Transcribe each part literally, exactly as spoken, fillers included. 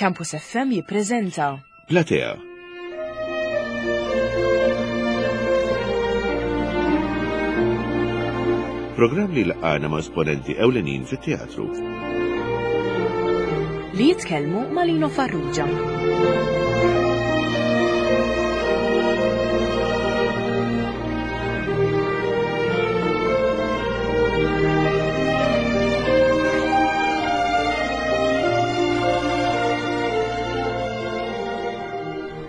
Campus F M jippreżenta Platea. Programm li laqana ma' esponenti ewlenin fit-teatru. Li jitkellmu ma' Lino Farrugia.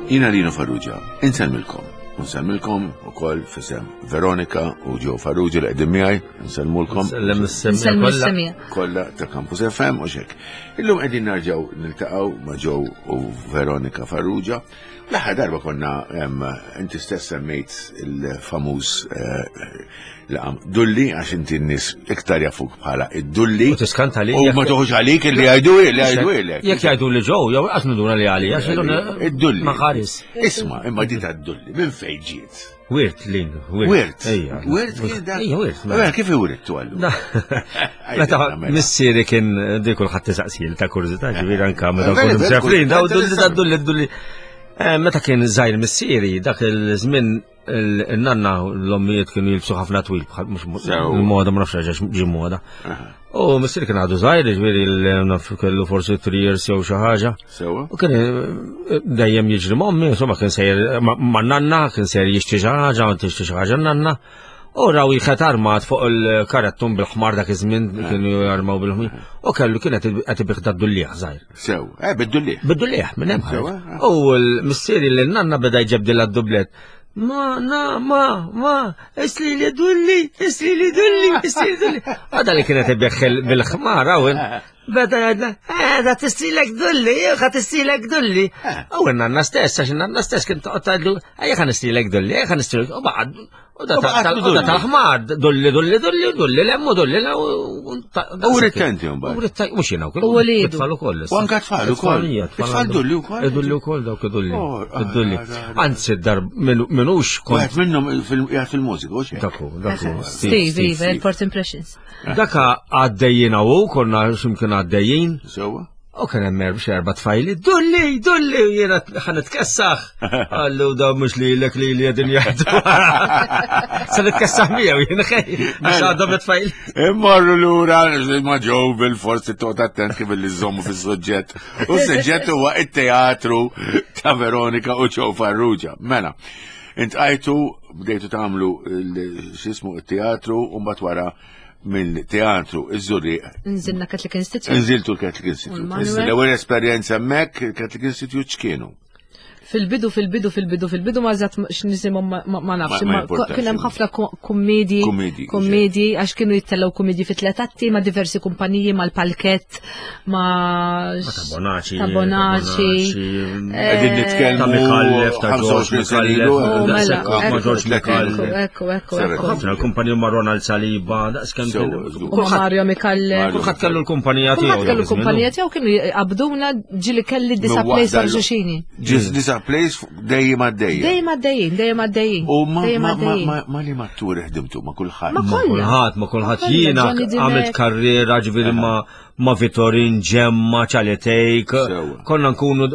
Jiena Lino Farrugia, insellmilkom. Insellmilkom ukoll f'isem Veronika u Joe Farrugia li qegħdin miegħi, insellmulkom. Nsellem is-semmiegħa Nsellmu kollha. s-semmiegħa. Kollha ta' Campus F M u xek. Illum qegħdin narġgħu niltaqgħu ma' Joe u Veronika Farrugia. L-aħħar darba konna em, inti stess semmejt il-famuż eh, laqam Dulli, għax inti n-nies iktar jafuk bħala id-Dulli. U tiskanta li U ma toħux għalik li jgħidu li jgħidu lek. Jekk jgħidu li ġew, jew qas niduna li għali, għax Id-Dulli. Ma ħares. Isma', imma di ta' Dulli, minn fejn ġiet? Wirt lin, wirt. Wirt. Ejja. Wirt kien dak. Ejja, wirt. Mela, kif iwrittu għallu? Meta missieri kien di kulħadd tisaqsil ta' kurżità, ġifieri anka meta Vera, nkunu vera, msefrin, daw kulħadd dulli da dulli dulli. Eh, Meta kien żgħir missieri, dak il-żmien il-nanna l-ommijiet kienu jilbsu ħafna twil, bħal mhux Sew. il-moda, ma nafx għax ġi moda. U missieri kien għadu żgħir, ġifieri naf kellu forsi three years jew xi ħaġa. Sewa? U kien eh, dejjem jiġri m'ommi, insomma kien sejjer ma' ma' nanna, kien sejjer jixtri xi ħaġa, u tixtri xi ħaġa nanna. U raw jħet armat fuq il-karettun bil-ħmar, dak iż-żmien kienu jarmaw bil-ħmar. U kellu kienet qed ibih dad-dullieħ żgħir. Sew, eh, bid-Dulli. Bid-dullieħ minn hemm. Sewa, ħareġ. U l-missieri li nanna beda jġebdilha d-dublet. Ma, na, ma, ma, isli li dulli, isli li dulli, isli li dulli. Għada li kienet ibih bil-ħmar, għawin. Beda jgħidla, eh, da tistilek dulli, ħa tistilek dulli. U nanna stess, għax nanna stess kien toqgħod tgħidlu, ejja ħa nistilek dulli, ejja ħa nistilek, u baqgħad, u da U baqgħet tal- u da dulli. tal-ħmar, dulli, dulli, dulli, dulli, lemmu, dulli, u U rittenti mbagħad. U rittenti, mhux jiena wkoll. U walidu. It-tfal ukoll. U anke tfal ukoll. It-tfal, It-tfal dulli wkoll? Idulli wkoll dawk idulli. Oh, ah, Idulli. ah, ah, Anzi, dar minux kont. Wieħed minnhom fil- qiegħed fil-mużika, u xejn. Daku, daku. Steve, Iva, il-Port Impressions. Daka għaddejjin u konna ximkien għaddejjin. Sewa? U kien hemm erba' xi erba' tfajli, dulli, dulli, u jiena ħa nitkessaħ. Qallu da mhux lilek li li qegħdin jgħidu. Se nitkessaħ miegħu jien xej, għax għadhom it-tfajli. Immorru lura ma ġew bil-forsi toqgħod attent kif li żommu fis-suġġett. U s-suġġett huwa it-teatru ta' Veronika u Joe Farrugia. Mela, intqajtu bdejtu tagħmlu il- x'ismu it-teatru u mbagħad wara mill-teatru iż-Żurrieq Nżilna Catholic Institute. Nżiltu l-Catholic Institute. U l-Manuel. L-ewwel esperjenza hemmhekk il-Catholic Institute x'kienu? Fil-bidu, fil-bidu, fil-bidu, fil-bidu ma zat x'nisimhom ma- ma ma nafx, Ma- ma imma importax. kien hemm ħafna ko- kummedji, Kummedji, kummedji, għax kienu jittellgħu kummedji fi tliet atti ma' diversi kumpaniji, mal-Palkett, ma' Ma ta' Bonaci. ta' Bonaci. Qegħdin Eh, nitkellmu Ta' Micallef, ta' ħamsa u għoxrin George sena ilu, Micallef. Oh, mela, daqshekk ma' ekku, George tletin. Micallef. Ekku, ekku, Seven. ekku. Ħafna l-kumpanija ma' Ronald Saliba, daqs kemm Sewa, kien- żgur. U ma' Mario Micallef. Mario. Kulħadd kellu l-kumpanija tiegħu. Kulħadd kellu dak iż-żmien. kumpanija tiegħu, kienu jqabduna, ġili kelli disa plays Waħda l- xulxini. Ġis disa plays dejjem għaddejja. Dejjem għaddejjin, dejjem għaddejjin. U ma dejjem ma ma għaddejjin. ma ma li matturi ħdimtu ma kulħadd. Ma Ma kollha. kulħadd, ma kulħadd Kollha, jiena Johnny Dimech. għamilt karriera ġifieri ma ma Vitorin Ġemma, Ċaletejk, Sewa. konna nkunu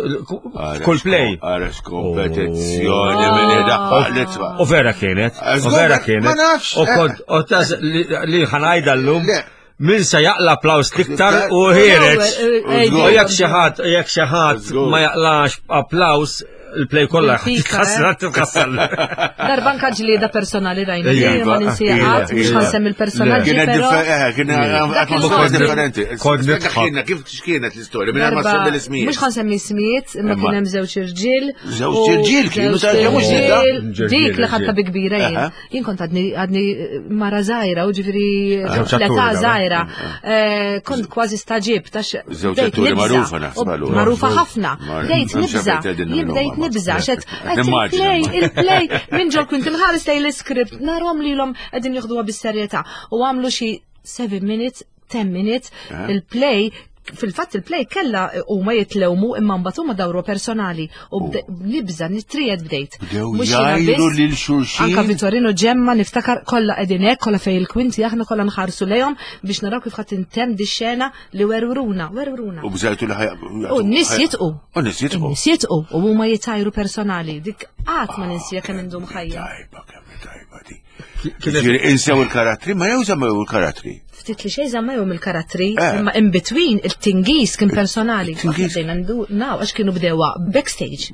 kull play. Għarex kompetizzjoni minn idaħħal l-itfa. U vera kienet, u vera kienet. Ma nafx. U kont, u tas li li ħa ngħidha llum, Le. min se jaqla applaus l-iktar u ħiereġ. Eh, U jekk xi ħadd, jekk xi ħadd Żgur. ma jaqlax applaus, il-play kollha Bil-pika, titħassar, eh. titħassar. Darba anka ġlieda personali rajna, Ija, li ma ninsija ija, qatt, mhux ija. ħa nsemmi l-personaġġi, Kienet però differenti, kienet atmosfera kont- differenti. kont Spjega nidħak. x'kienet, kif x'kienet l-istorja, minn ma darba- semmi l-ismijiet. Mhux ħa nsemmi ismijiet, imma Imma. kien hemm żewġ irġiel. Żewġ u irġiel kienu, żewġ ta' mhux irġiel. nidda? Dik li ħadta bi kbira jien. Aha. Jien kont għadni għadni mara żgħira, u ġifieri Żewġ l-età atturi, dawn. żgħira. Eh, Kont kważi staġib tax Żewġ bdejt atturi nibża'. magħrufa naħseb U allura. Magħrufa ħafna. Mar- Bdejt Hemm nibża'. xi qegħdin Jien minnhom bdejt ma- nibża' xed Nimmaġina. il-play, il-play, minn ġol kont inħares lejn l-iskript, narhom lilhom qegħdin jieħduha bis-serjetà u għamlu xi seven minutes, ten minutes, Eh. il-play Fil-fatt il-play kella huma jitlewmu imma mbagħad huma dawru personali u bde- nibża nitried bdejt. Bdew Mhux jiena jgħajru biss, lil xulxin. Anka Vittorino Ġemma niftakar kollha qegħdin hekk, kollha fej il-kwinti aħna kollha nħarsu lejhom biex naraw kif ħadd intemm di xena li werwruna, werwruna. U bżajtu li ħaj. U n-nies jitqu. U n-nies jitqu. In-nies jitqu u huma jitajru personali. Dik qatt ma ninsija kemm indum ħajja. Tajba, kemm tajba di. Kienet Ġifieri insew il-karattri, ma jew żammew il-karattri. Ftit li xejn żammewhom il-karattri, Eh. imma in between il-tingis kien personali. Il-tingis. Aħna bdejna ndu naw għax kienu bdewa backstage.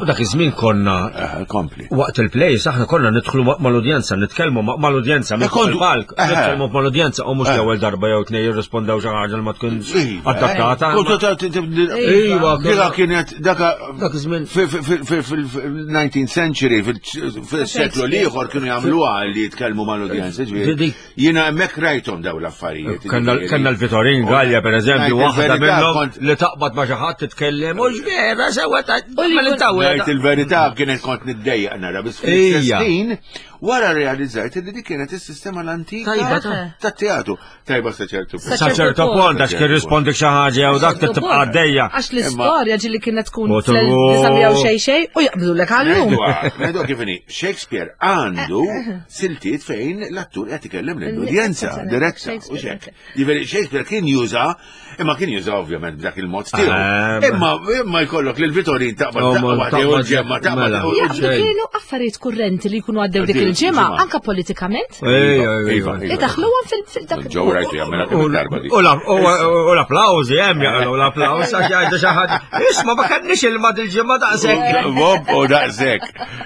U dak iż-żmien konna Eh, Kompli. waqt il-plays aħna konna nidħlu ma- mal-udjenza, nitkellmu ma- mal-udjenza minn fuq kontu- il-palk, Eh. nitkellmu mal-udjenza u mhux Eh. l-ewwel darba jew tnejn jirrispondew xi ħaġa li ma tkunx Iva. adattata. Kontu ta' t- t- Iva, Dika kienet, daka Dak iż-żmien. fil-nineteenth century, fil-seklu l-ieħor kienu jagħmluha li jitkellmu mal-udjenza. ġifieri. Dik- Jiena hemmhekk rajthom daw l-affarijiet. Kellna ġifieri. kellna l-Vitorin Gallia per eżempju, Ngħid waħda il-verità, minnhom kont- li taqbad ma' xi ħadd titkellem u x'vera sewa ta' U li ma jkun- Ngħid il-verità kienet kont niddejjaq nara biss Ija. fl-istess ħin wara realizzajt li dik kienet is-sistema l-antika Tajba, ta' tat-teatru. Tajba sa ċertu punt. Sa ċertu punt għax kien rispondik xi ħaġa jew dak tibqa' għaddejja. Għax l-istorja ġili kienet tkun Motu- fl-elf xej xej u jaqblu lek għallum. Ngħidu ngħidu kif inhi, Shakespeare għandu siltiet fejn l-attur qed ikellem lill-udjenza diretta u Shakespeare, xek. Jiġifieri Shakespeare kien juża, imma kien juża ovvjament b'dak il-mod tiegħu. Eh, Imma imma jkollok lil Vitorin taqbad Oh, ma taqbad jew taqbad ġemma taqbad. mela. u- u- Jaqblu kienu affarijiet kurrenti li jkunu għaddew dik Għaddew il-ġimgħa, il-ġimgħa. anka politikament. Ejja, Iva, iva. iva. Idaħluhom fil-dak. Ġew rajtu jagħmilha kemm darba di. U la- u- u l-applawżi hemm jaqgħu l-applawż għax jgħidu xi ħadd. Isma' ma kellniex ilma dil-ġimgħa daqshekk. Bob u daqshekk.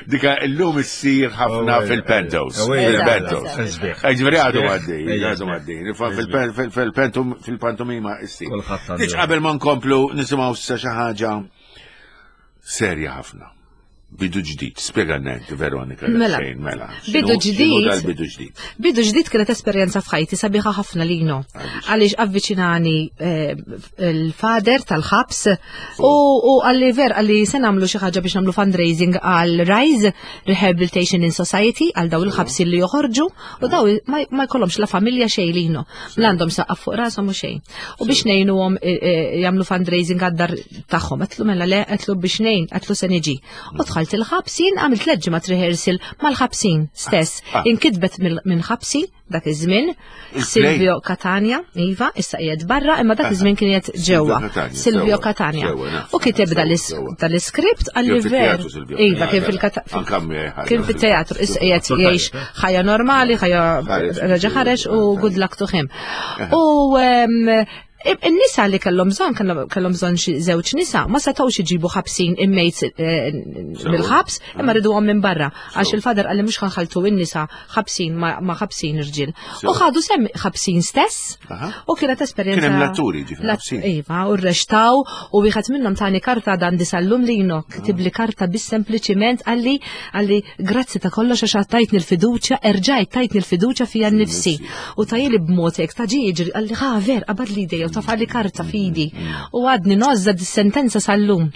Dika illum issir ħafna Oh, fil-pentos. oh, Fil-pentos. Sbieħ. Ġifieri għadu Sbieħ. għaddej, Ejja, għadu sbieħ. għaddej. Fil-pen- fil- Fil-pentum, fil-pantomima issir. Kulħadd għandu. Diċ qabel ma nkomplu nisimgħu issa xi ħaġa serja ħafna. Bidu ġdid, spjega inti Veronika. Mela. xejn, mela. Bidu X'inhu- x'inhu ġdid. dal-bidu ġdid. Bidu ġdid kienet esperjenza f'ħajti sabiħa ħafna lino. Għaliex avviċinani eh, il-fader tal-ħabs u u għalli ver għalli se nagħmlu xi ħaġa biex nagħmlu fundraising għal Rise Rehabilitation in Society għal daw il-ħabsi li joħorġu u daw ma ma jkollhomx la familja xejn lino. La għandhom saqaf fuq rashom u xejn. U biex ngħinuhom eh, eh, jagħmlu fundraising għad-dar tagħhom. Għedtlu mela le, għedtlu biex ngħin, għedtlu se niġi. U dħalt il-ħabsin, għamilt tliet ġimgħat rehearsal mal-ħabsin stess. Ah. Inkitbet mill- minn ħabsi dak iż-żmien Il-play. Silvio Catania, iva, issa qiegħed barra, imma dak iż-żmien kien qiegħed ġewwa. Catania, Silvio sewwa, Catania. sewwa, naf, U kiteb sewwa, dal-is- sewwa. dal-iskript Kien għalli ver. fit-teatru, Silvio. Iva, kien fil-kata- Anka miegħi ħaġa. Kien fit-teatru, issa qiegħed Sul jgħix ħajja normali, ħajja Ħareġ. reġa' ħareġ u good luck to him. U em, in-nisa li kellhom bżonn kellhom kellhom bżonn xi żewġ nisa ma setgħux iġibu ħabsin inmates eh, mill-ħabs imma riduhom minn barra għax il-fader qalli mhux ħanħaltu in-nisa ħabsin ma ma ħabsin irġiel. U ħadu sem ħabsin stess Aha. u kienet esperjenza. Kien hemm l-atturi, ġifieri, Lat- ħabsin. Iva, u rrextaw u wieħed minnhom tani karta dan disallum lino, ktibli karta biss sempliċiment għalli għalli grazzi ta' kollox għax tajtni l-fiduċja, erġajt tajtni l-fiduċja fija nnifsi. U tajjeli b'mod hekk ta' ġi jiġri għalli ħa ver qabad li idejja u tafali karta fidi. U għadni nozza dis-sentenza sal-lum.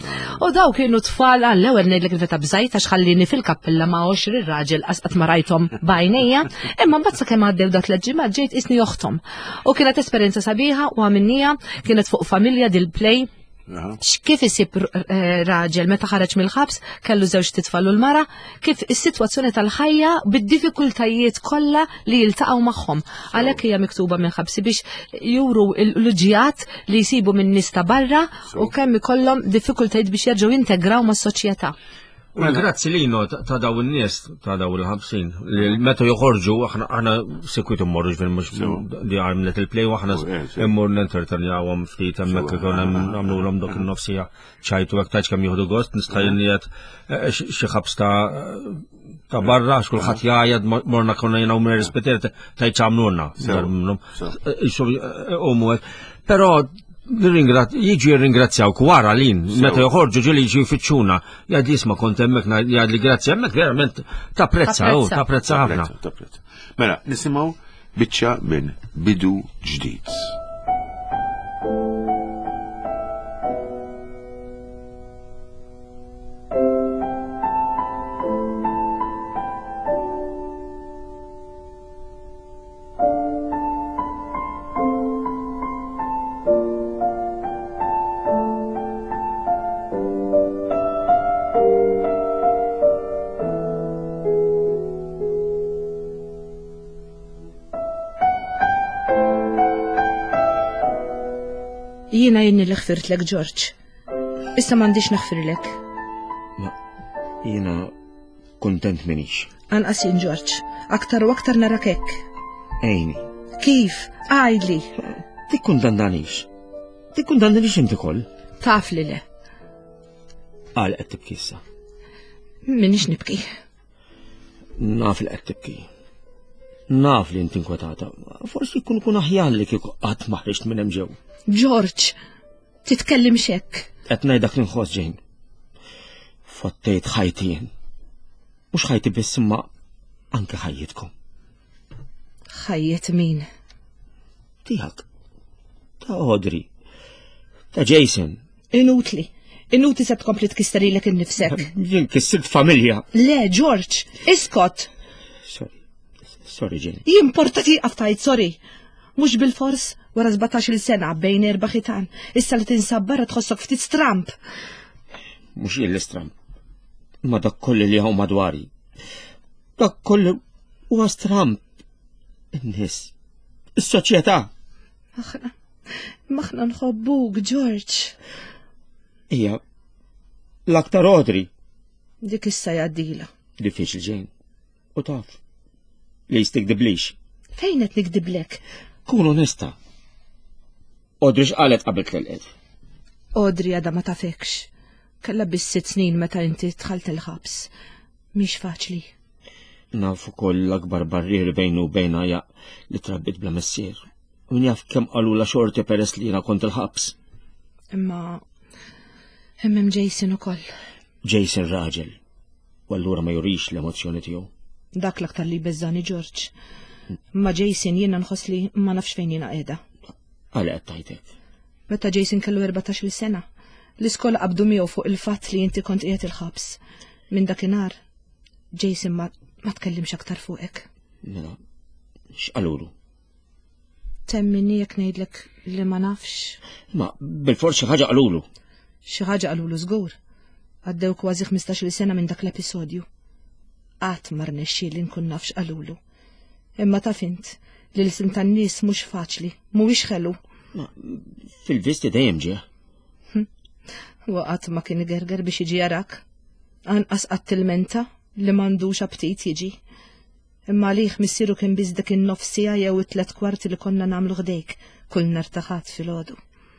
U daw kienu tfal għall-ewwel ngħidlek il-veta bżajt għax ħallini fil-kappella ma' għoxrin raġel qas ma rajthom b'għajnejja, imma mbagħad sakemm għaddew dat l-ġimgħat ġejt isni oħthom. U kienet esperjenza sabiħa u għamilnija kienet fuq familja dil-play Aha. kif isib eh, raġel meta ħareġ mill-ħabs kellu żewġ titfal u l-mara, kif is-sitwazzjoni tal-ħajja bid-diffikultajiet kollha li jiltaqgħu magħhom. Għalhekk hija miktuba minn ħabsi biex juru l-luġijat li jsibu minn nies ta' barra u kemm ikollhom diffikultajiet biex jerġgħu jintegraw mas-soċjetà. U grazzi lino ta' ta' daw in-nies ta' daw il-ħabsin li meta joħorġu aħna aħna sikwit immorru ġifieri mhux li għamlet il-play u aħna Oh, eh, sew. immur nentertenjawhom ftit hemmhekk ikun hemm nagħmluhom dak in-nofsija ċajtu hekk tgħidx kemm jieħdu gost nista' jien xi ħabs ta' ta' barra għax kulħadd jgħajjed morna konna jiena u Mary Spiteri tgħid x'għamlulna. Sew. Sew. Isu hekk. Però nirringrat, jiġu jirringrazzjawk wara lin, meta joħorġu ġieli jiġu jfittxuna, jgħid jisma' kont hemmhekk jgħid li grazzi hemmhekk verament tapprezza, oh, tapprezza ħafna. Tapprezza, tapprezza. Mela, nisimgħu biċċa minn Bidu Ġdid. Jiena jenni li ħfirtlek, Ġorġ. Issa m'għandix naħfirlek. Ma jiena kontent minix. Anqas jien, Ġorġ. Aktar u aktar narak hekk. Ejni. Kif? Għidli. Tikkundandanix. Tikkundandanix inti koll. Taf li le. Għal qed tibki issa. Minix nibki. Naf li qed tibki. Naf li inti inkwetata. Forsi jkun kun aħjar li kieku qatt ma ħriġt minn hemm ġew. Ġorġ, titkellimx hekk. Qed ngħidak li nħoss ġejn. Fottejt ħajti jien. Mhux ħajti biss imma anke ħajjitkom. Ħajjet min? Tiegħek. Ta' Audrey. Ta' Jason. Inutli. Inutli se tkompli tkisserilek innifsek. Jien kissirt familja. Le, Ġorġ, iskot. Sorry. Sorry, Jane. Jimporta tieqaf tajt, sorry. Mhux bil-fors wara sbatax-il sena bejn erba' ħitan. Issa li tinsab barra tħossok ftit stramp. Mhux jien l-istramp. Ma dak kollu li hawn madwari. Dak kollu huwa stramp. In-nies. Is-soċjetà. Aħna, maħna nħobbuk, Ġorġ. Hija l-aktar Audrey. Dik issa jgħaddila. Diffiċli Jane. U taf. Li jistikdiblix. Fejn qed nikdiblek? Kun onesta. Audrey x'qalet qabel telqet? Audrey għadha ma tafekx. Kellha biss sitt snin meta inti dħalt il-ħabs. Mhix faċli. Naf ukoll l-akbar barrier bejnu u bejna ja li trabbit bla missier. U min jaf kemm qalula xorti peress li jiena kont il-ħabs. Imma hemm Jason ukoll. Jason raġel. U allura ma jurix l-emozzjoni tiegħu. Dak l-aktar li beżżani Ġorġ. Ma Jason jiena nħoss li ma nafx fejn jiena qiegħda. Għala qed tajtek. Meta Jason kellu erbatax-il sena, l-iskola qabdu miegħu fuq il-fatt li inti kont qiegħed il-ħabs. Minn dakinhar, Jason ma, ma tkellimx aktar fuqek. Mela, x'qalulu? Temminni jekk ngħidlek li ma nafx. Ma bil-fors xi ħaġa qalulu. Xi ħaġa qalulu żgur. Għaddew kważi ħmistax-il sena minn dak l-episodju. Qatt ma rnexxieli nkun naf x'qalulu. Imma taf int li l-sin tan-nies mhux faċli, mhuwiex ħelu. Ma fil-visti dejjem ġie. Huwa qatt ma kien igerger biex jiġi jarak. Anqas qatt tilmenta li m'għandux aptit jiġi. Imma għalih missieru kien biss dik in-nofs siegħa jew it-tliet kwarti li konna nagħmlu ħdejk kull nhar ta' Ħadd filgħodu.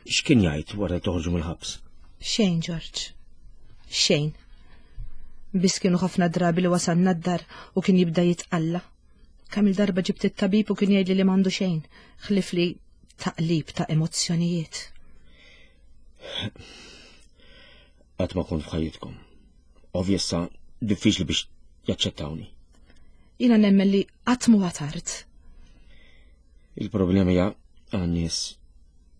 X'kien jgħid wara toħorġu mill-ħabs? Xejn, Ġorġ. Xejn. Biss kienu ħafna drabi li wasalna d-dar u kien jibda jitqalla. Kemm il-darba ġibt it-tabib u kien jgħidli li m'għandu xejn, ħlif li taqlib ta' emozzjonijiet. Qatt ma kont f'ħajjitkom. Ovvjessa diffiċli biex jaċċettawni. Jiena nemmen li qatt mhu tard. Il-problema hija għan-nies.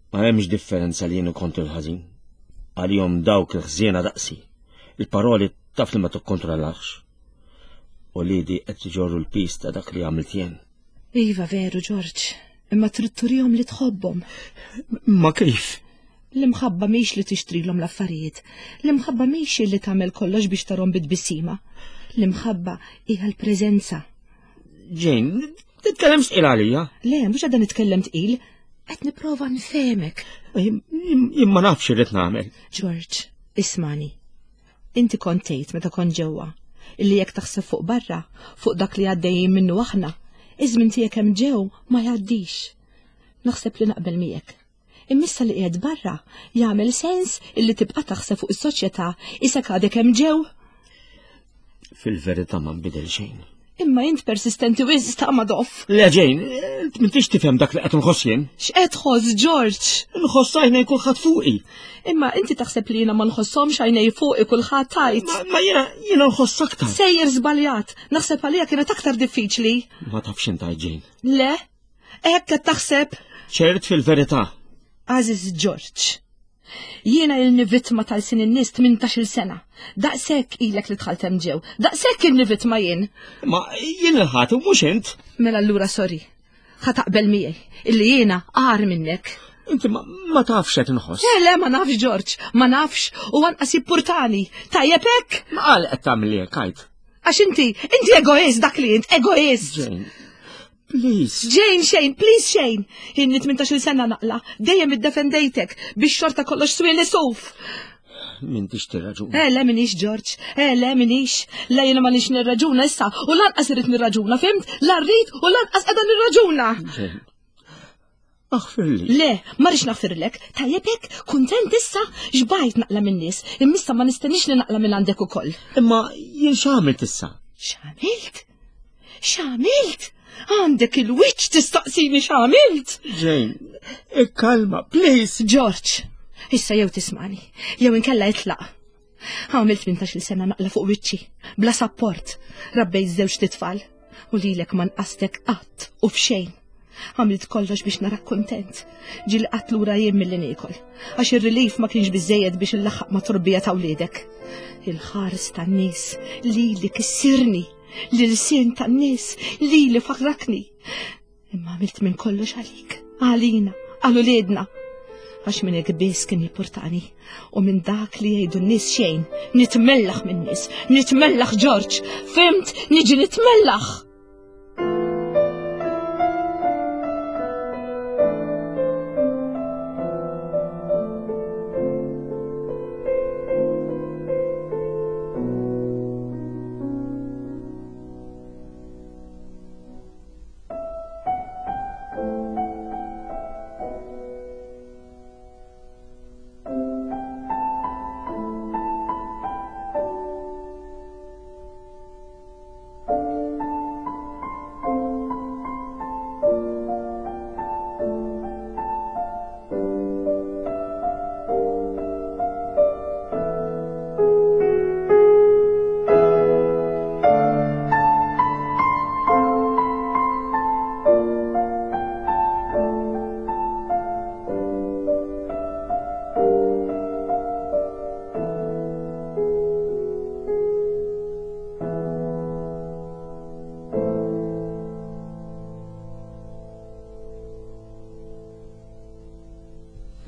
Ma hemmx differenza li jien kont il-ħażin. Għalihom dawk il-ħżiena daqsi. Il-paroli taf li ma tikkontrollax. U lidi qed iġorru l-pis ta' dak li għamilt jien. Iva veru, Ġorġ, imma trid turihom li tħobbhom. Ma kif? L-imħabba mhix li tixtrilhom l-affarijiet. L-imħabba mhix li tagħmel kollox biex tarhom bit-tbissima. L-imħabba hija l-preżenza. Jane, titkellemx tqil għalija. Le, mhux għadha nitkellem tqil, qed nipprova nfehmek. Jien ma nafx irrid nagħmel. Ġorġ, ismani. Inti kont tgħid meta kont ġewwa illi jekk taħseb fuq barra, fuq dak li għaddejjin minnu aħna, iż-żmien tiegħek hemm ġew ma jgħaddix. Naħseb li naqbel miegħek. Immissa li qiegħed barra jagħmel sens illi tibqa' taħseb fuq is-soċjetà isek għadek hemm ġew. Fil-verità ma nbidel xejn. Imma int persistenti wisq ta' Madoff. Le Jane, int m'intix tifhem dak li qed nħoss jien. X'qed tħoss, Ġorġ? Nħoss għajnej kulħadd fuqi. Imma inti taħseb li jiena ma nħosshomx għajnej fuqi kulħadd tajt. Ma, ma jiena jiena nħoss aktar. Sejjer żbaljat, naħseb għalija kienet aktar diffiċli. Ma tafx int għid, Jane. Le, hekk qed taħseb. Ċert fil-verità. Aziz Ġorġ, jiena ilni vittma tal-sin in-nies tmintax-il sena. Daqshekk ilek li dħalt hemm ġew. Daqshekk ilni vittma jien. Ma jien il-ħati u mhux int. Mela allura sorry. Ħa taqbel miegħi illi jiena agħar minnek. Inti ma, ma tafx qed inħoss. Le, le, ma nafx Ġorġ, ma nafx u anqas jippurtani. Tajjeb hekk? Ma qal qed tagħmel hekk, għid. Għax inti, inti egoist dak li int, egoist. Jane, Please. Jane, xejn, please xejn. Inni tmintax-il sena naqla, dejjem iddefendejtek biex xorta kollox swili suf. M'intix tirraġuna. Eh, le minix, George, eh, le minix. La jiena ma nix nirraġuna issa, u lanqas irrid nirraġuna, fimt? La rrid u lanqas qiegħda nirraġuna. Jane, aħfirli. Le, ma rridx naħfirlek. Tajjeb hekk, kuntent issa, xbajt naqla min-nies, immissa ma nistenniex li naqla minn għandek ukoll. Imma jien x'għamilt issa? X'għamilt? X'għamilt? Għandek il-wiċċ tistaqsini x'għamilt? Jane, ikkalma, please. George, issa jew tismani, jew inkella itlaq. Għamilt tmintax-il sena naqla fuq wiċċi, bla sapport, rabbejt żewġ titfal, u lilek ma nqastek qatt u f'xejn. Għamilt kollox biex narak kontent, ġieli qatt lura jien milli niekol, għax ir-relief ma kienx biżejjed biex illaħħaq ma' torbija ta' wliedek. Il-ħares tan-nies lili kissirni, l-ilsien tan-nies lili farrakni. Imma għamilt minn kollox għalik, għalina, għal uliedna. Għax minn hekk biss kien jippurtani, u minn dak li jgħidu n-nies xejn, nitmellaħ minn nies, nitmellaħ George, fimt, niġi nitmellaħ.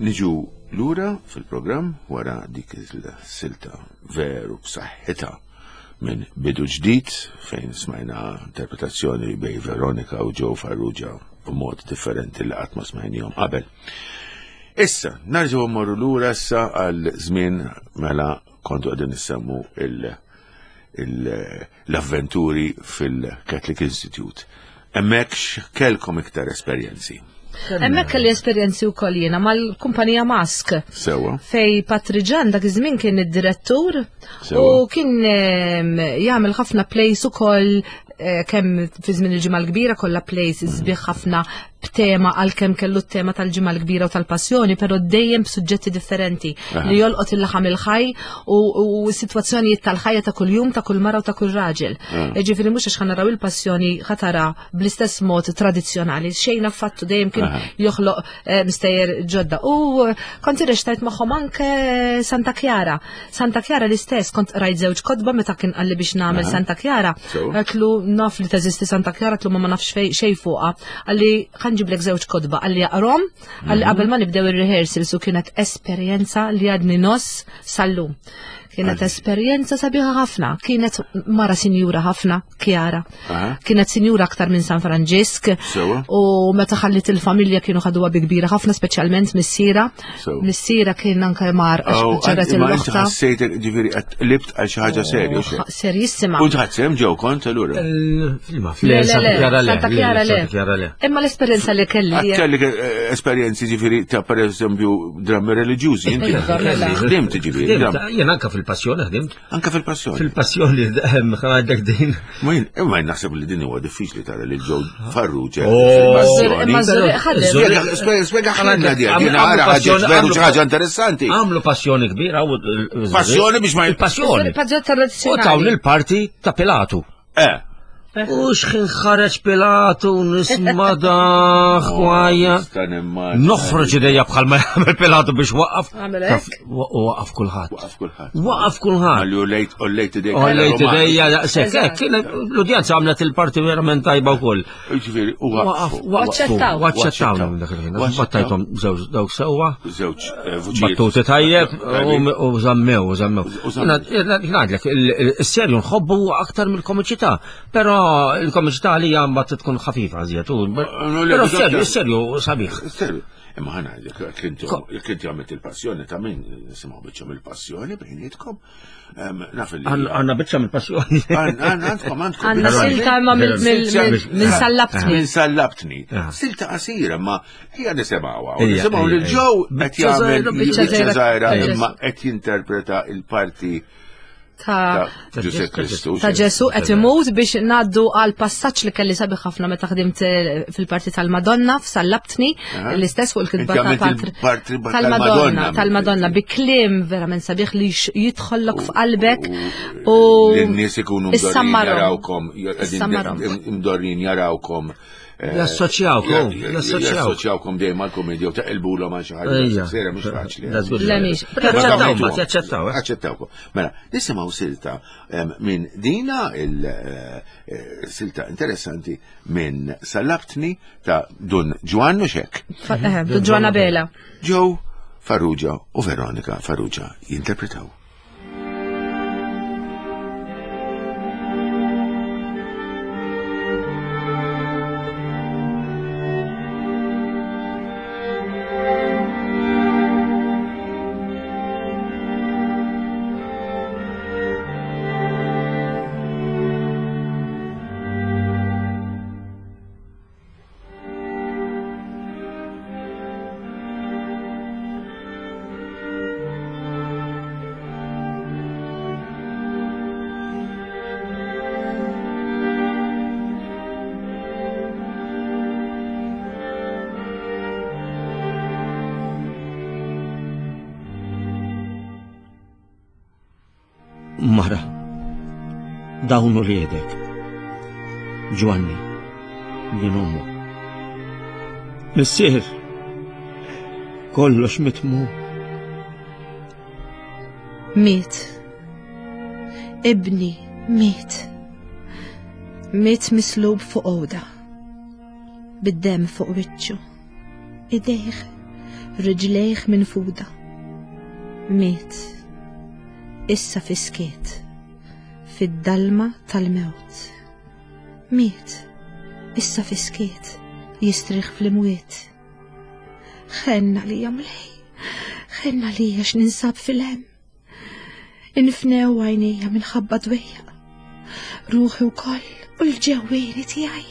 Niġu lura fil-programm wara dik il-silta veru b'saħħitha minn Bidu Ġdid fejn smajna interpretazzjoni bej Veronika u Joe Farrugia b'mod differenti li qatt ma smajnihom qabel. Issa, nerġgħu mmorru lura issa għal żmien mela kontu qegħdin nissemmu l-avventuri fil-Catholic Institute. Hemmhekk x'kelkom iktar esperjenzi? Hemmhekk kelli esperjenzi wkoll jiena mal-kumpanija Mask. Sewa. Fej Patriġan dak iż-żmien kien id-direttur Sewa. u kien, ehm, jagħmel ħafna plays ukoll, eh, kemm fi żmien il-ġimgħa l-kbira kollha plays sbieħ ħafna b'tema għalkemm kellu t-tema tal-ġimgħa l-kbira u tal-passjoni, però dejjem b'suġġetti differenti Aha. li jolqot il-laħam il-ħaj u, u sitwazzjonijiet tal-ħajja ta' kuljum ta' kull mara u ta' kull raġel. Ah. Ġifieri mhux għax ħanaraw il-passjoni ħatara bl-istess mod tradizzjonali, xejn affattu dejjem kien Aha. joħloq, eh, mistejjer ġodda. U kont irrextajt magħhom anke Santa Chiara. Santa Chiara l-istess, kont rajt żewġ kotba meta kien qalli biex nagħmel Aha. Santa Chiara. So? Għedtlu naf li teżisti Santa Chiara, għedtlu ma ma nafx fej-, xejn fuqha. Qalli ħanġiblek żewġ kotba, qalli aqrom, qalli Mhm. qabel ma nibdew ir-rehearsals, u kienet esperjenza li għadni nos sal-lum. Kienet Għalli. esperjenza sabiħa ħafna, kienet mara sinjura ħafna, Chiara. Aha. Kienet sinjura aktar minn San Franġisk. Sewa. U meta ħallit il-familja kienu ħaduha bi kbira ħafna, speċjalment missiera. Sewa. Missiera kien anke mar għax Oh, ġaret ma inti il-loħta. ħassejtek, ġifieri, qed qlibt għal xi ħaġa serju, xejn. Oh, Serjissima. U tħadd ġew kont allura? Il-ma, Le, le, Santa le, Chiara le, Santa le, Chiara le. Santa Chiara le. Imma l-esperjenza li kelli Għad kellek, eh, esperjenzi ġifieri ta' per eżempju drammi reliġjużi, inti Iva, mela. ħdimt ġifieri, Ħdimt, dram. jien anka fil-passjoni ħdimt. Anka fil-passjoni. Fil-passjoni, ehm, ħadek din. Ma jien, imma jien naħseb li din huwa diffiċli tara li Joe Farrugia Oh. fil-passjoni. Imma Zurich ħadem. Spjega, spjega, spjega ħalna di, Għamlu din ara ħaġa passjoni- veru għamlu xi ħaġa interessanti. Għamlu passjoni kbira. u l- Passjoni biex ma- Il-passjoni. Passjoni U tawn tradizzjonali. il-parti ta' Pilatu. Eh. U xħin ħareġ Pilatu nisma daħ kwajja. Nista' nimmaġina. Noħroġ idejja bħal ma jagħmel Pilatu biex waqaf. Għamel Taf, hekk? wa- Waqaf kulħadd. Waqaf kulħadd. Waqaf kulħadd. Għalli u lejt, u lejt idejk. U lejt idejja, daqshekk. Eżatt. Hekk, kienet l-udjenza għamlet il-parti verament tajba wkoll. Ġifieri, u Waqaf, waqfu. waqfu. Waċċettaw. Waċċettaw dak il-ħin. Waċċettaw. Battajthom żewġ dawk sewwa. Żewġ, eh, vuċijiet. Battuti tajjeb Tajbin. u u żammew, u żammew. U żammew. Ngħidlek, il-serju nħobbu aktar mill-komiċità, però il-komiċità għalija mbagħad tkun ħafifa żjed. Però serju, serju sabiħ. Serju. Imma ħana jekk inti għamilt il-passjoni ta' min nisimgħu biċċa mill-passjoni bejnietkom. Naf li. Għandna biċċa mill-passjoni. Għandkom għandkom. Għandna silta imma minn sallabtni. Minn sallabtni. Silta qasira ma hija nisimgħuha. Nisimgħu lil Joe qed jagħmel biċċa żgħira imma qed jinterpreta il-parti ta' Ġesù Kristu. Ta' Ġesù qed imut biex ngħaddu għal passaġġ li kelli sabiħ ħafna meta ħdimt fil-parti tal-Madonna f'Sallabtni, l-istess fuq il-kitba ta' Patri tal-Madonna, tal-Madonna bi kliem verament sabiħ li jidħollok f'qalbek u n-nies ikunu mdorrin jarawkom, mdorrin jarawkom. Jassoċjawkom, jassoċjawkom dejjem mal-komedja u taqilbulhom għal xi ħaġa sera mhux faċli. Le mhix. Jaċċettawkom, jaċċettaw. Aċċettawkom. Mela, nisimgħu silta minn dina il-silta interessanti minn Sallabtni ta' Dun Ġwann u xek. Dun Ġwann Abela. Joe Farrugia u Veronika Farrugia jinterpretaw. Mara, dawn uliedek, Ġwanni, din ommu. Missier, kollox mitmu. Miet. Ibni, miet. Miet mislub fuq għoda. Bid-dem fuq wiċċu. Idejh, riġlejh minfuda. Miet. Issa fiskiet, fid-dalma tal-mewt. Miet, issa fiskiet, jistrieħ fl-imwiet. Ħenna lija Mulej, ħenna lija x'ninsab fil-hemm. Infnew għajnejja minħabba dwejjaq, ruħi wkoll u l-ġewwieni tiegħi.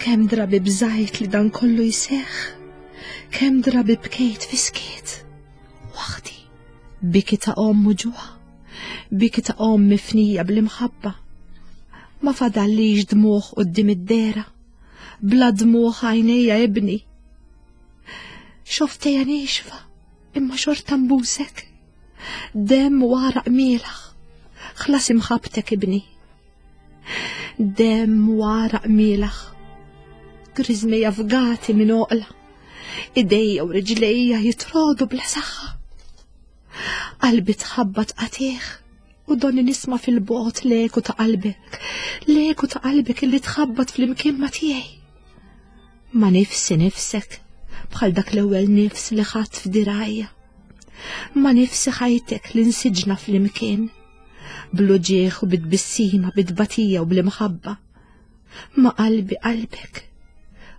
Kemm drabi bżajt li dan kollu jseħħ, kemm drabi bkejt fiskiet, waħdi. Biki ta' omm muġuħa, biki ta' omm mifnija bl-imħabba. Ma fadallix dmuħ quddiem id-dera, bla dmuħ għajnejja ibni. Xoftejja nixfa, imma xorta mbusek. Dem waraq mielaħ, ħlas imħabtek ibni. Dem waraq mielaħ, griżmejja fgati minn oqla, idejja u riġlejja jitrodu bla saħħa. Qalbi tħabbat qatih u donni nisma' fil-bogħod leku ta' qalbek, leku ta' qalbek illi tħabbat fl-imkien ma' tiegħi. Ma nifsi nifsek bħal dak l-ewwel nifs li ħadd f'dirajja. Ma nifsi ħajtek li nsiġna fl-imkien, bl-uġieħ u bit-tbissima, bit-tbatija u bl-imħabba. Ma qalbi qalbek,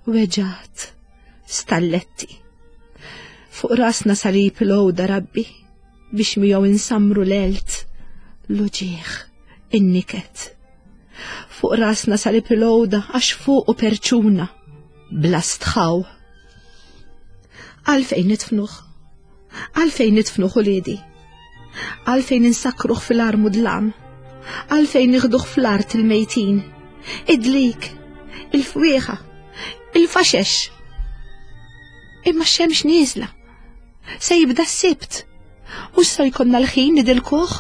weġgħat, stalletti. Fuq rasna salib l-għoda Rabbi, biex miegħu insamru l-elt, l-uġieħ, in-niket. Fuq rasna salib l-għoda għax fuq u perċuna, bla stħaw. Għalfejn nitfnuh, għalfejn nitfnuh uliedi, għalfejn insakruh fil-armu dlam, għalfejn nieħduh fl-art il-mejtin, id-dlik, il-fwieħa, il-faxex. Imma x-xemx nieżla, se jibda s-sibt. U sa jkollna l-ħin nidilkuh?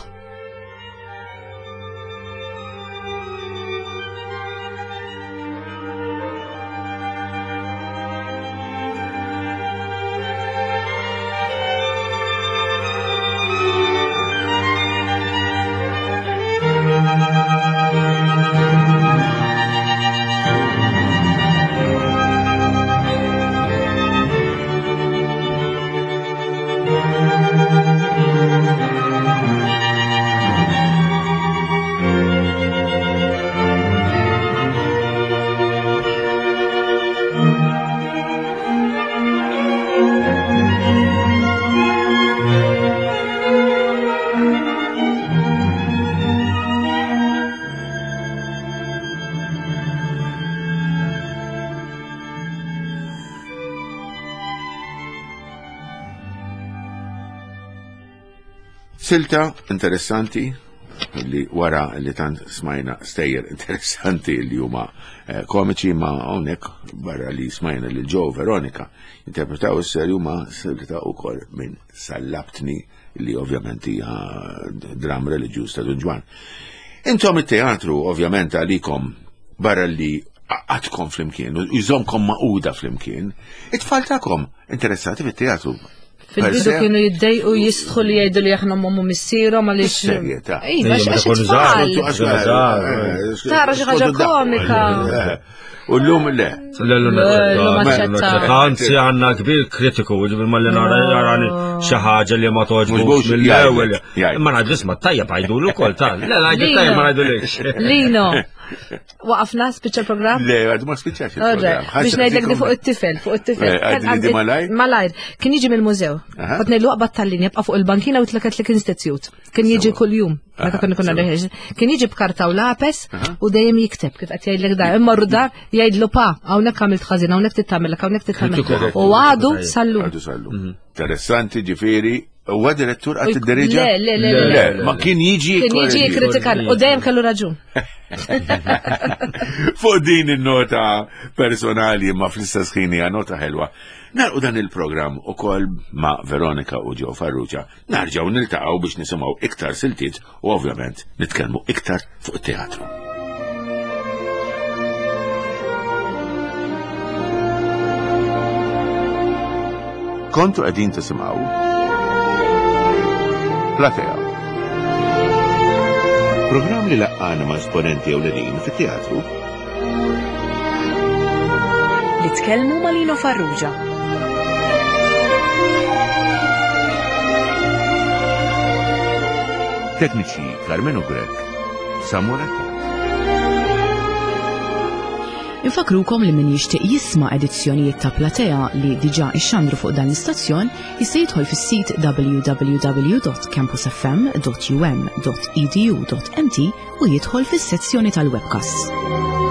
Thank you. Silta interessanti li wara li tant smajna stejjer interessanti li huma eh, komiċi, ma hawnhekk barra li smajna li Joe Veronica interpretaw is-serju ma silta wkoll minn Sallabtni, li ovvjament hija dram reliġjuż ta' Dun Ġwann. Intom it-teatru ovvjament għalikom barra li għatkom flimkien, u jżomkom maquda flimkien, it-tfal tagħkom interessati fit-teatru. Fil-bidu kienu jiddejqu jistħu li jgħidu li aħna ommu missierhom għaliex. Bis-serjetà. Iva, Ejja, għax meta konu żgħar, it-tfal. konu żgħar, eh. Tara xi ħaġa komika. U l-lum le. Le, le, Le, naċċetta, naċċetta. naċċetta. Anzi, għanna kbir kritiku, ġibir ma li nara jarani xi ħaġa li ma toġbux Mhux mill-ewwel. jgħidlek, jgħidlek. Ma ngħidu isma' tajjeb għajdu ukoll ta' Le, ngħidu Lino. tajjeb ma ngħidulekx. Lino, waqafna spiċċa l-programm? Le, għadu ma spiċċax Orre, il-programm. biex ngħidlek di fuq it-tifel, fuq it-tifel. Eh, għadli di malajr? Malajr, kien jiġi mill-mużew. Aha. Kont ngħidlu aqbad tal-linja, bqa' fuq il-bankina u Catholic Institute. Kien jiġi Sewa. kuljum, meta Aha, konna konna sewa. reħeġ. Kien jiġi b'karta u lapes u dejjem jikteb kif qed jgħidlek dar. Immorru dar jgħidlu pa, hawnhekk għamilt ħażin, hawnhekk titagħmel, hawnhekk titagħmel. Kritiku. U għadu sallum. Għadu sallu. Interessanti ġifieri, huwa direttur għat id-deriġa? Le, le, le, le, Le, ma kien jiġi. Kien jiġi jikkritikan u dejjem kellu raġun. Fuq din il-nota personali ma fl-istess ħin hija nota ħelwa. Narqu dan il-programm ukoll ma' Veronika u Joe Farrugia. Narġgħu niltaqgħu biex nisimgħu iktar siltiet u ovvjament nitkellmu iktar fuq it-teatru. Kontu qegħdin tisimgħu Platea. Programm li laqqana ma' esponenti ewlenin fit-teatru. Li tkellmu ma' Lino Farrugia. Tekniċi Carmenu Grek, Samuel Infakrukom li min jixtieq jisma' edizzjonijiet ta' Platea li diġà ixxandru fuq dan l-istazzjon jista' jidħol fis-sit w w w dot campus f m dot u m dot e d u dot m t u jidħol fis-sezzjoni tal-webcasts.